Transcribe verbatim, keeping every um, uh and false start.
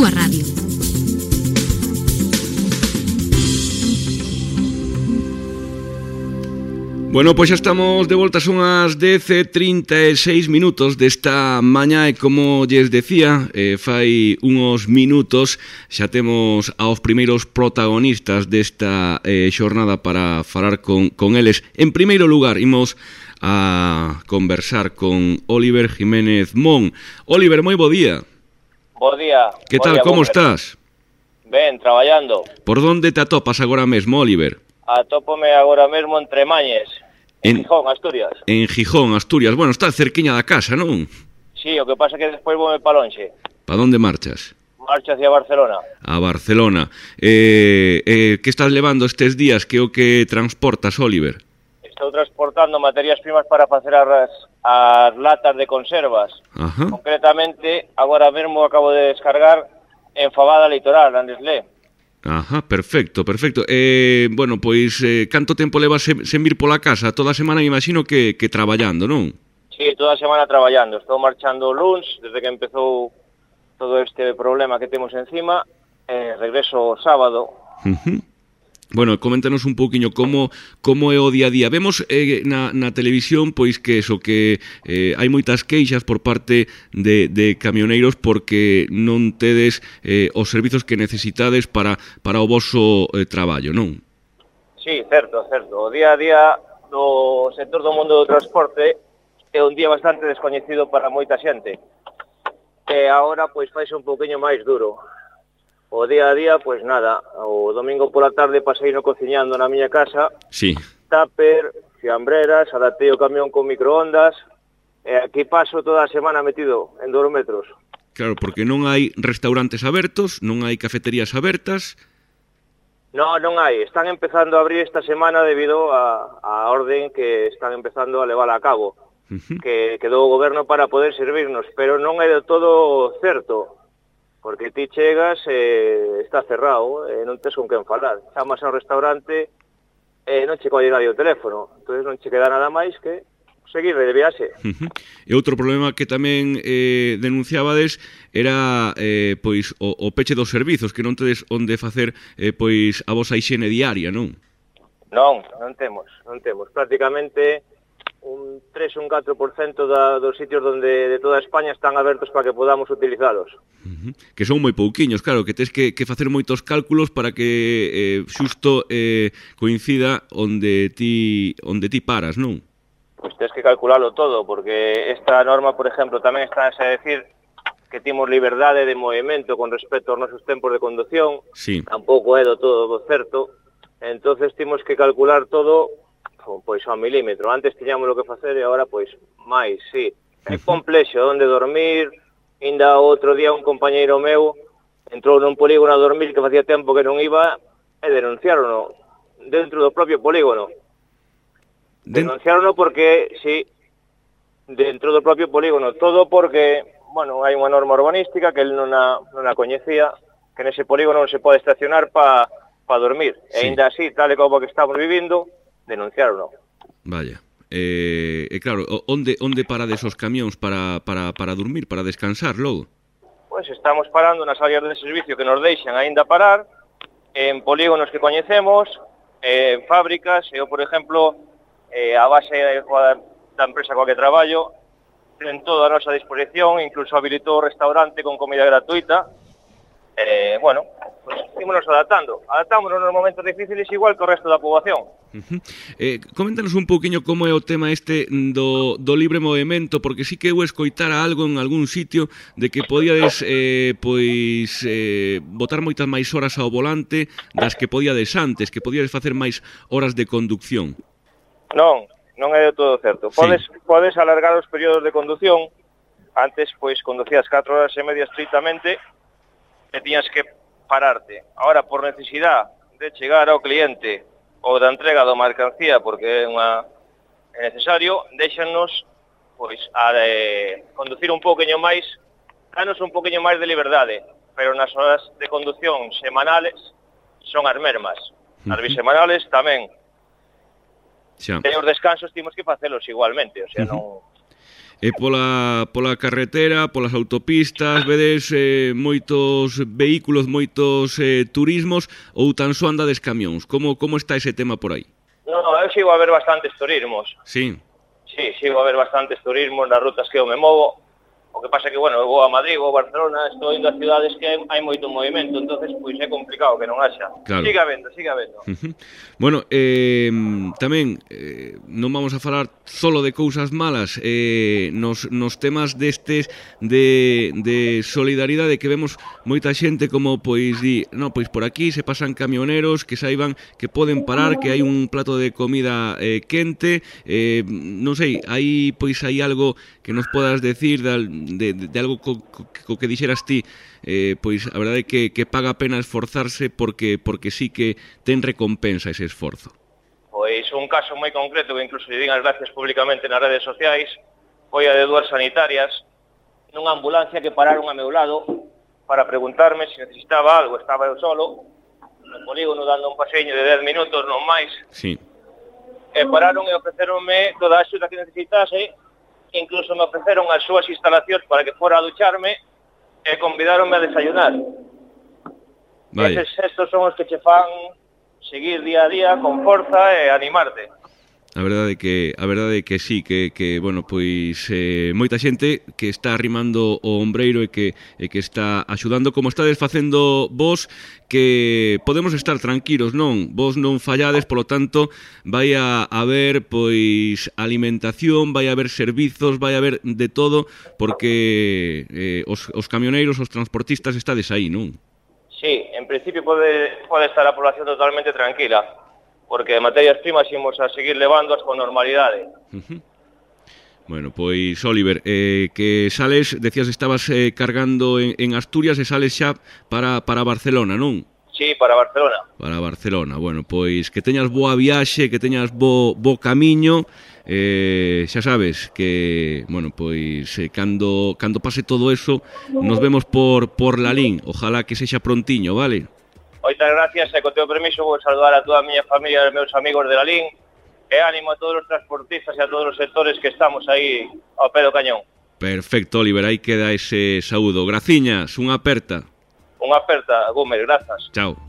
túa radio. Bueno, pois xa estamos de volta, son as dez e trinta e seis minutos desta mañá e como lles decía, eh, fai uns minutos xa temos aos primeiros protagonistas desta eh, xornada para falar con, con eles. En primeiro lugar, imos a conversar con Óliver Jiménez Mon. Óliver, moi bo día. Bo día. Que tal, como estás? Ben, traballando. Por onde te atopas agora mesmo, Óliver? Atópome agora mesmo en Tremañes, en, en Gijón, Asturias. En Gijón, Asturias. Bueno, está cerquiña da casa, non? Sí, o que pasa é que despois voume pa lonxe. Pa onde marchas? Marcho hacia Barcelona. A Barcelona. Eh, eh, que estás levando estes días? Que o que transportas, Óliver? Estou transportando materias primas para facer as, as latas de conservas. Ajá. Concretamente, agora mesmo acabo de descargar en Fabada Litoral, en Nestlé. Ajá, perfecto, perfecto. Eh, bueno, pois, eh, canto tempo levas sen, sen vir pola casa? Toda a semana me imagino que, que traballando, non? Sí, toda a semana traballando. Estou marchando o luns, desde que empezou todo este problema que temos encima. Eh, regreso o sábado. Uh-huh. Bueno, coméntanos un pouquiño como como é o día a día. Vemos eh, na, na televisión pois que eso, que eh, hai moitas queixas por parte de, de camioneiros porque non tedes eh, os servizos que necesitades para, para o voso eh, traballo, non? Sí, certo, certo. O día a día do sector do mundo do transporte é un día bastante descoñecido para moita xente. E agora, pois, faise un pouquinho máis duro. O día a día, pois nada, o domingo pola tarde pasei no cociñando na miña casa. Sí. Tupper, fiambreras, adaptei o camión con microondas, e aquí paso toda a semana metido en dous metros. Claro, porque non hai restaurantes abertos, non hai cafeterías abertas. No, non hai. Están empezando a abrir esta semana debido a, a orden que están empezando a levar a cabo, uh-huh. que quedou o goberno para poder servirnos, pero non é de todo certo. Porque ti chegas e eh, está cerrado, e eh, non tes con quen falar. Chamas ao restaurante e eh, non che colle nadie o teléfono. Entón non che queda nada máis que seguir de viaxe. Uh-huh. E outro problema que tamén eh, denunciabades era eh, pois o, o peche dos servizos, que non tedes onde facer eh, pois a vosa hixiene diaria, non? Non, non temos, non temos. Prácticamente un tres ou un catro por cento da, dos sitios donde de toda España están abertos para que podamos utilizalos. Uh-huh. Que son moi pouquiños, claro, que tes que, que facer moitos cálculos para que eh, xusto eh, coincida onde ti, onde ti paras, non? Pois tes que calcularlo todo, porque esta norma, por exemplo, tamén está a decir que temos liberdade de movimento con respecto aos nosos tempos de conducción. Sí. Tampouco é do todo certo. Entonces temos que calcular todo pois ao milímetro. Antes tiñamos o que facer e agora pois máis, sí. É complexo onde dormir. Ainda outro día un compañeiro meu entrou nun polígono a dormir que facía tempo que non iba e denunciarono dentro do propio polígono. Denunciarono porque, sí, dentro do propio polígono. Todo porque, bueno, hai unha norma urbanística que el non a, non a coñecía, que nese polígono non se pode estacionar para pa dormir. Sí. E ainda así, tal e como que estamos vivindo, denunciarono. Vaya. Eh, e claro, onde onde parades os camións para, para, para dormir, para descansar logo? Pois estamos parando nas áreas de servicio que nos deixan aínda parar, en polígonos que coñecemos, en fábricas. Eu, por exemplo, eh, a base da empresa coa que traballo ten toda a nosa disposición, incluso habilitou o restaurante con comida gratuita. Eh, bueno, pues ímonos adaptando. Adaptámonos nos momentos difíciles igual que o resto da poboación. Uh-huh. Eh, coméntanos un pouquiño como é o tema este do, do libre movimento, porque sí que eu escoitara algo en algún sitio de que podíades eh, pois eh, botar moitas máis horas ao volante das que podíades antes, que podíades facer máis horas de conducción. Non, non é de todo certo. Podes, sí. podes alargar os períodos de condución. Antes, pois, conducías catro horas e media estrictamente e tiñas que pararte. Ahora, por necesidade de chegar ao cliente ou da entrega da mercancía, porque é, unha, é necesario, déxanos pois, a de conducir un pouquinho máis, danos un pouquinho máis de liberdade, pero nas horas de conducción semanales son as mesmas. As bisemanales tamén. Xa. E os descansos temos que facelos igualmente, o sea, uh-huh. non... E pola, pola carretera, polas autopistas, vedes eh, moitos vehículos, moitos eh, turismos ou tan só andades camións? Como, como está ese tema por aí? No, eu sigo a ver bastantes turismos. Sí. Sí, sigo a ver bastantes turismos nas rutas que eu me movo. O que pasa que, bueno, eu vou a Madrid, vou a Barcelona, estou indo a cidades que hai moito movimento, entonces pois é complicado que non haxa. Claro. Siga habendo, siga habendo. Uh-huh. Bueno, eh, tamén eh, non vamos a falar solo de cousas malas, eh, nos, nos temas destes de, de solidaridade que vemos moita xente como pois di, no, pois por aquí se pasan camioneros que saiban que poden parar, que hai un plato de comida eh, quente, eh, non sei, hai pois hai algo que nos podas decir de De, de, de algo co, co, co que dixeras ti, eh, pois a verdade é que, que paga a pena esforzarse porque porque sí que ten recompensa ese esforzo. Pois un caso moi concreto que incluso lle din as gracias públicamente nas redes sociais foi a de dúas sanitarias nunha ambulancia que pararon a meu lado para preguntarme se necesitaba algo. Estaba eu solo no polígono dando un paseño de dez minutos, non máis. Sí. E pararon e ofreceronme toda a axuda que necesitase. Incluso me ofreceron as súas instalacións para que fora a ducharme e convidaronme a desayunar. Vale. Eses gestos son os que che fan seguir día a día con forza e animarte. A verdade que a verdade que sí, que, que bueno, pois eh, moita xente que está arrimando o ombreiro e que e que está axudando como estades facendo vos, que podemos estar tranquilos, non? Vos non fallades, polo tanto, vai a haber pois alimentación, vai a haber servizos, vai a haber de todo, porque eh, os, os camioneiros, os transportistas estades aí, non? Sí, en principio pode, pode estar a población totalmente tranquila, porque materias primas imos a seguir levándoas con normalidade. Uh-huh. Bueno, pois, Óliver, eh, que sales, decías estabas eh, cargando en, en Asturias e sales xa para, para Barcelona, non? Sí, para Barcelona. Para Barcelona, bueno, pois que teñas boa viaxe, que teñas bo, bo camiño, eh, xa sabes que, bueno, pois eh, cando, cando pase todo eso, nos vemos por, por Lalín, ojalá que sexa prontiño, vale? Moitas gracias e co teu permiso vou saludar a toda a miña familia e os meus amigos de Lalín e ánimo a todos os transportistas e a todos os sectores que estamos aí ao pé do cañón. Perfecto, Óliver, aí queda ese saúdo. Graciñas, unha aperta. Unha aperta, Gómez, grazas. Chao.